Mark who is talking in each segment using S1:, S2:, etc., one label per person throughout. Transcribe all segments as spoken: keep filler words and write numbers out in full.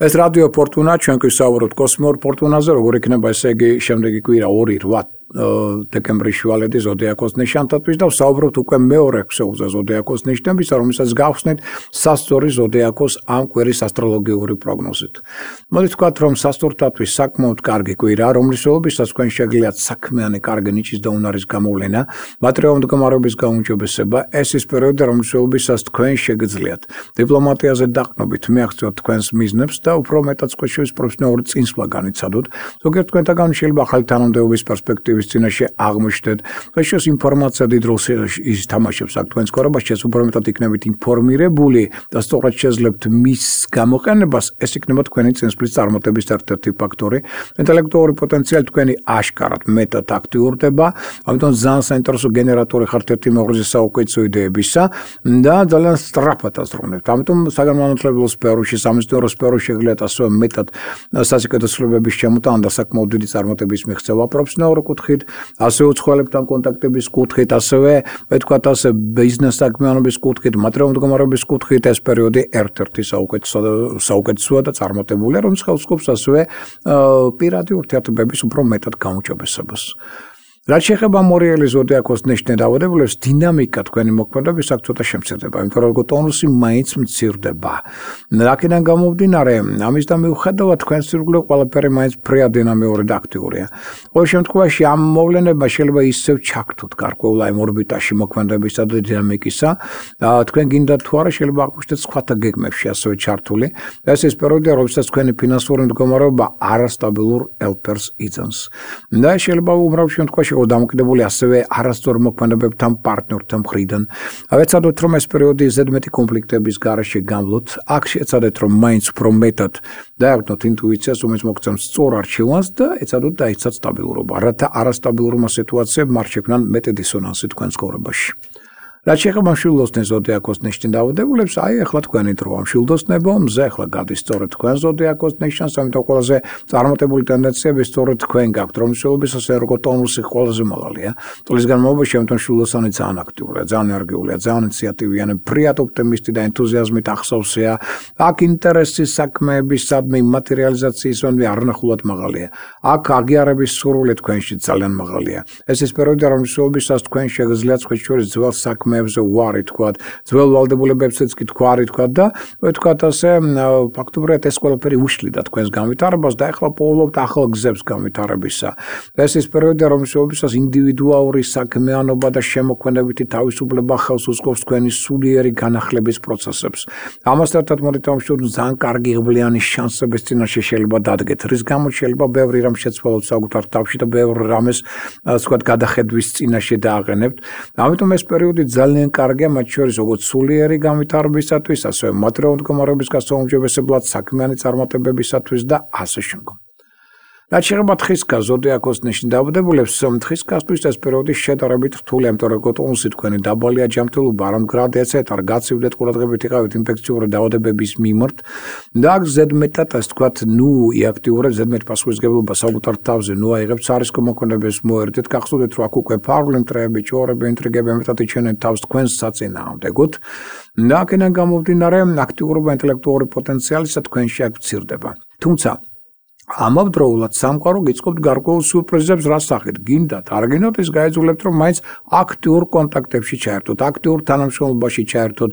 S1: ეს რადიო ფორტუნა ჩვენთვის საუბრობთ კოსმიურ ფორტუნაზე, როგორ იქნება ესე იგი შემდეგი კვირა ორი რვა დეკემბრის შუალედი ზოდიაქოს ნიშანთათვის და ვსაუბრობთ უკვე მეორე ქსელზე ზოდიაქოს ნიშნებისა, რომელსაც გავხსნით სასწორი ზოდიაქოს ამ კვირის ასტროლოგიური პროგნოზით. მოდით ვთქვათ, რომ სასწორთათვის საკმაოდ კარგი კვირა, რომლის ველობისას თქვენ შეგიძლიათ საქმიანი კარგი ნიჭის და უნარის გამოვლენა, მატერიალური მდგომარეობის გაუმჯობესება, ეს ის პერიოდი, რომლის ველობისას თქვენ შეგიძლიათ დიპლომატიაზე დაყრდნობით მიაღწიოთ თქვენს მიზნებს და უფრო მეტად შეშვის პროფესიონალური წინსვლა განიცადოთ. ზოგიერთ თქვენთაგან შეიძლება ახალი თანამდებობის პერსპექტივის წინაშე აღმოჩნდეთ. შეშვის ინფორმაცია დიდ როლს ითამაშებს აქ თქვენს ცხოვრებაში, უფრო მეტად იქნებით ინფორმირებული და სწორად შეძლებთ მის გამოყენებას, ეს იქნება თქვენი წინსვლის წარმატების ერთ-ერთი ფაქტორი. ინტელექტუალური პოტენციალი თქვენი აშკარად მეტად აქტიურდება, ამიტომ ძალიან საინტერესო გენერატორი ხართ ერთი მეუღლის საუკეთესო იდეებისა და ძალიან სწრაფად აზროვნებთ. ამიტომ საგანმანათლებლო სფეროში, სამეცნიერო სფეროში შეგიძლიათ ასევე მეტად სასიკეთო ცვლილებების შემოტანა და საკმაოდ დიდი წარმატების მიღწევა პროფესიონალური კუთხით, ასევე უცხოელებთან კონტაქტების კუთხით, ასევე ვთქვათ ასე ბიზნეს საქმიანობის კუთხით, მატერიალური მდგომარეობის კუთხით ეს პერიოდი ერთ-ერთი საუკეთესოა და წარმატებულია, რომელიც ხელს უწყობს ასევე პირადი ურთიერთობების უფრო მეტად გაუმჯობესებას. რაც შეეხება მორიელი ზოდიაქოს ნიშნე დაავადებულებს, დინამიკა თქვენი მოქმედების აქ ცოტა შემცირდება, იმიტომ რომ ტონუსი მაინც მცირდება. რაკიდან გამომდინარე, ამის და მიუხედავად თქვენს ირგვლივ ყველაფერი მაინც ფრია დინამიური და აქტიურია. ყოველ შემთხვევაში ამ მოვლენებმა შეიძლება ისევ ჩაგთოთ გარკვეულ აი ორბიტაში მოქმედებისა და დინამიკისა. თქვენ გინდათ თუ არა შეიძლება აღმოჩნდეთ სხვათა გეგმებში ასევე ჩართული. ეს ის პერიოდია, როდესაც თქვენი ფინანსური მდგომარეობა არასტაბილურ ელფერს იძენს. და შეიძლება უბრალოდ შემთხვევაში დამოკიდებული ასევე არასწორ მოქმედებებთან პარტნიორთან მხრიდან. ვეცადოთ, რომ ეს პერიოდი ზედმეტი კონფლიქტების გარეშე გამლოთ. აქ შეეცადეთ, რომ მაინც უფრო მეტად დააგდოთ ინტუიციას, რომელიც მოგცემს სწორ არჩევანს და ეცადოთ დაიცვათ სტაბილურობა, რათა არასტაბილურმა სიტუაციებმა არ შექმნან მეტი დისონანსი თქვენს ცხოვრებაში. რაც შეეხება მშვილდოსნეს ზოდიაქოს ნიშნით დაავადებულებს, აი ახლა თქვენი დროა მშვილდოსნებო, მზე ახლა გადის სწორედ თქვენ ზოდიაქოს ნიშნს, ამიტომ ყველაზე წარმატებული ტენდენციები სწორედ თქვენ გაქვთ, რომ მშვილდობისას ერგოტონუსი ყველაზე მაღალია. წლის განმავლობაში ამიტომ მშვილდოსანი ძალიან აქტიურია, ძალიან ენერგიულია, ძალიან ინიციატივიანი, ფრიად ოპტიმისტი და ენთუზიაზმით ახსოვსია. აქ ინტერესი საქმეებისადმი, მატერიალიზაციისადმი არნახულად მაღალია. აქ აღიარების სურვილი თქვენში ძალიან მაღალია. ეს ის პერიოდია, რომ მშვილდობისას თქვენ შეგიძლიათ სხვადასხვა ძველ საქმეებზე ვარი თქვათ, ძველ ვალდებულებებსაც კი თქვარი თქვათ და ვთქვათ ასე ფაქტობრივად ეს ყველაფერი უშლიდა თქვენს განვითარებას და ახლა პოულობთ ახალ გზებს განვითარებისა. ეს ის პერიოდია, რომელშიც ინდივიდუალური საქმიანობა და შემოქმედებითი თავისუფლება ხელს უწყობს თქვენი სულიერი განახლების პროცესებს. ამასთან ერთად მოდით ამშვიდობთ ძალიან კარგი ღბლიანი შანსების წინაშე შეიძლება დადგეთ, რის გამოც შეიძლება ბევრი რამ შეცვალოთ საკუთარ თავში და ბევრი რამეს ვთქვათ გადახედვის წინაშე დააყენებთ. ამიტომ ეს პერიოდი ძალიან კარგია, მათ შორის როგორც სულიერი განვითარებისათვის, ასევე მატერიალური მდგომარეობის გასაუმჯობესებლად, საქმიანი წარმატებებისათვის და ასე შემდგომ. რაც შეეხება თხისკას ზოდიაქოს ნიშნით დაავადებულებს, თხისკასთვის ეს პერიოდი შედარებით რთულია, იმიტომ რომ ტონუსი თქვენი დაბალია, ჯანმრთელობა არ მდგრადია, ეტარ გაცივდეთ ყურადღებით იყავით ინფექციური დაავადებების მიმართ და აქ ზედმეტად ასე ვთქვათ, ნუ იაქტიურებს ზედმეტ პასუხისმგებლობა საკუთარ თავზე, ნუ აიღებთ სარისკო მოქმედებას მოერდეთ, გახსოვდეთ რომ აქ უკვე ფარული მტრეები, ჭორები, ინტრიგები მეტად იჩენენ თავს თქვენს საწინააღმდეგოდ და აქედან გამომდინარე აქტიურობა ინტელექტუალური პოტენციალისა თქვენში აქ მცირდება. თუმცა ამავდროულად სამყარო გიწყობთ გარკვეულ სიურპრიზებს რა სახით გინდათ არ გინდათ ის გაეძულებთ რომ მაინც აქტიურ კონტაქტებში ჩაერთოთ, აქტიურ თანამშრომლობაში ჩაერთოთ,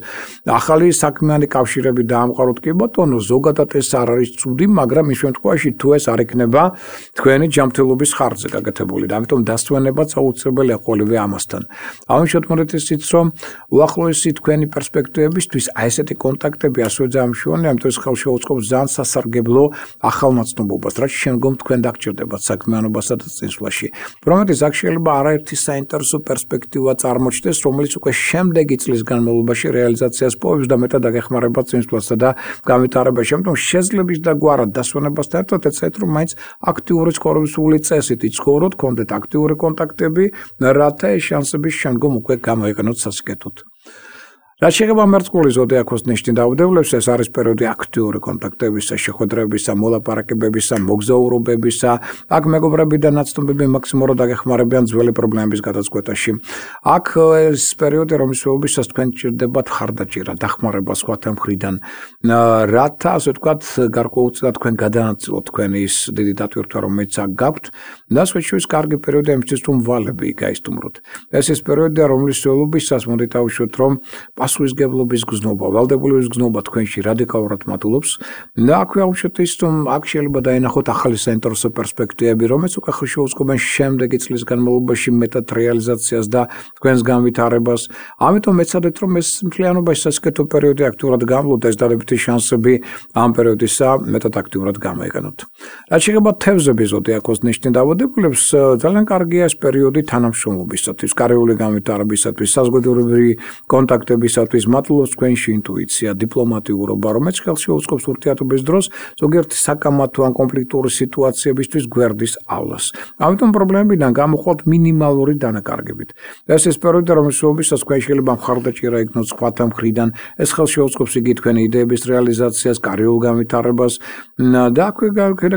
S1: ახალი საქმიანი კავშირები დაამყაროთ. კი ბატონო, ზოგადად ეს არ არის ცუდი, მაგრამ ის შემთხვევაში თუ ეს არ იქნება თქვენი ჯანმრთელობის ხარჯზე გაკეთებული და ამიტომ დასვენებაც აუცილებელია ყოველივე ამასთან. ამიტომ მოდით ისიც რომ უახლოესი თქვენი პერსპექტივებისთვის აი ესეთი კონტაქტები ასევე ძალიან მნიშვნელოვანია, ამიტომ ეს ხელს შეუწყობს ძალიან სასარგებლო ახალმოცნობობას, რაც შემდგომ თქვენ დაგჭირდებათ საქმიანობასა და წინსვლაში. პრომეტის აქ შეიძლება არაერთი საინტერესო პერსპექტივა წარმოჩნდეს, რომელიც უკვე შემდეგი წლის განმავლობაში რეალიზაციას პოვებს და მეტად აგეხმარება წინსვლასა და განვითარებაში. ამიტომ შეძლების და გვარად დასვენებასთან ერთად ეცეთ რომ მაინც აქტიური ცხოვრებისული წესით იცხოვროთ, გქონდეთ აქტიური კონტაქტები, რათა ეს შანსები შემდგომ უკვე გამოიყენოთ სასიკეთოდ. რაც შეეხება მერწყული ზოდიაქოს ნიშნის დაავადებებს, ეს არის პერიოდი აქტიური კონტაქტებისა, შეხვედრებისა, მოლაპარაკებებისა, მოგზაურობებისა. აქ მეგობრებიდან ნაცნობები მაქსიმალურად აგეხმარებიან ძველი პრობლემების გადაწყვეტაში. აქ ეს პერიოდი, რომლის შეფასებისას თქვენ ჭირდებათ ხარდაჭერა, დახმარება სხვათა მხრიდან, რათა ასე ვთქვათ, გარკვეულწილად თქვენ გადაანაწილოთ თქვენი ის დიდი დატვირთვა, რომელიც აქ გაქვთ. და სხვათა კარგი პერიოდი იმისთვის, რომ ვალები გაისტუმროთ. ეს ის პერიოდია, რომლის შეფასებისას მოდით დავუშვათ, რომ პასუხისმგებლობის გზნობა, ვალდებულების გზნობა თქვენში რადიკალურად მატულობს და აქვე ავუშვათ ის, რომ აქ შეიძლება დაინახოთ ახალი საინტერესო პერსპექტივები, რომელიც უკვე ხელშეუწყობენ შემდეგი წლის განმავლობაში მეტად რეალიზაციას და თქვენს განვითარებას. ამიტომ ეცადეთ, რომ ეს მთლიანობაში სასიკეთო პერიოდი აქტიურად გამლოთ, ეს დადებითი შანსები ამ პერიოდისა მეტად აქტიურად გამოიყენოთ. რაც შეეხება თევზების ზოდიაქოს ნიშნის დაავადებულებს, ძალიან კარგია ეს პერიოდი თანამშრომლობისათვის, კარიული განვითარებისათვის, საზოგადოებრივი კონტაქტებისათვის, მატულობს თქვენში ინტუიცია, დიპლომატიურობა, რომელიც ხელშეუწყობს ურთიერთობის დროს ზოგიერთი საკამათო ან კონფლიქტური სიტუაციებისთვის გვერდისავლას. ამიტომ პრობლემებიდან გამოხვალთ მინიმალური დანაკარგებით. ეს ის პერიოდი, რომლის შეფასებისას თქვენ შეიძლება მხარდაჭერა იქნოთ სხვათა მხრიდან, ეს ხელშეუწყობს იგი თქვენი იდეების რეალიზაციას, კარიულ განვითარებას და აქვე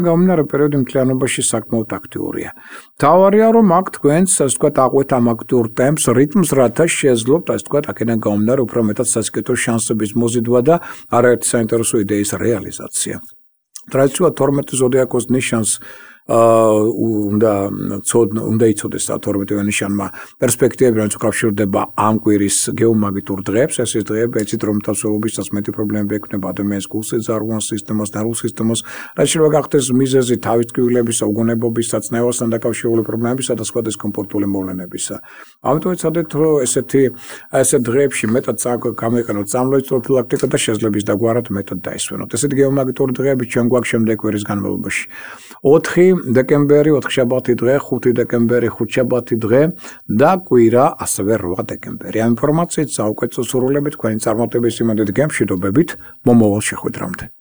S1: გამომდინარე პერიოდი მთლიანობაში საკმაოდ აქტიურია. თავარია, რომ აქ თქვენს, ასე ვთქვათ, აყვეთ ამ აქტიურ ტემპს, რიტმს, რათა შეეძლოთ, ასე ვთქვათ, აქედან გამომდინარე უფრო მეტად სასიკეთო შანსების მოზიდვა და არაერთი საინტერესო იდეის რეალიზაცია. ტრადიციულად თორმეტი ზოდიაქოს ნიშანს უნდა უნდა იცოდეს თორმეტივე ნიშანმა პერსპექტივები, რომელიც უკავშირდება ამ კვირის გეომაგნიტურ დღეებს. ეს ის დღეები, ეცით რომ თავსებობისას მეტი პრობლემები ექნება ადამიანის გულსიძარღვას სისტემას, ნერვულ სისტემას, რაც შეიძლება გახდეს მიზეზი თავის ტკივილებისა, უგონებობის, საწნევასთან დაკავშირებული პრობლემებისა და სხვა დისკომფორტული მოვლენებისა. ამიტომ ეცადეთ, რომ ესეთი ესეთ დღეებში მეტად გამოიყენოთ წამლების პროფილაქტიკა და შესლების დაგვარად მეტად დაისვენოთ. ესეთი გეომაგნიტური დღეები ჩვენ გვაქვს შემდეგ კვირის განმავლობაში. ოთხი დეკემბერი, ოთხშაბათი დღე, ხუთი დეკემბერი, ხუთშაბათი დღე და კვირა, ასევე რვა დეკემბერი. ამ ინფორმაციით საუკეთესო სურვილებით, თქვენი წარმატების იმედით გემშვიდობებით, მომავალ შეხვედრამდე.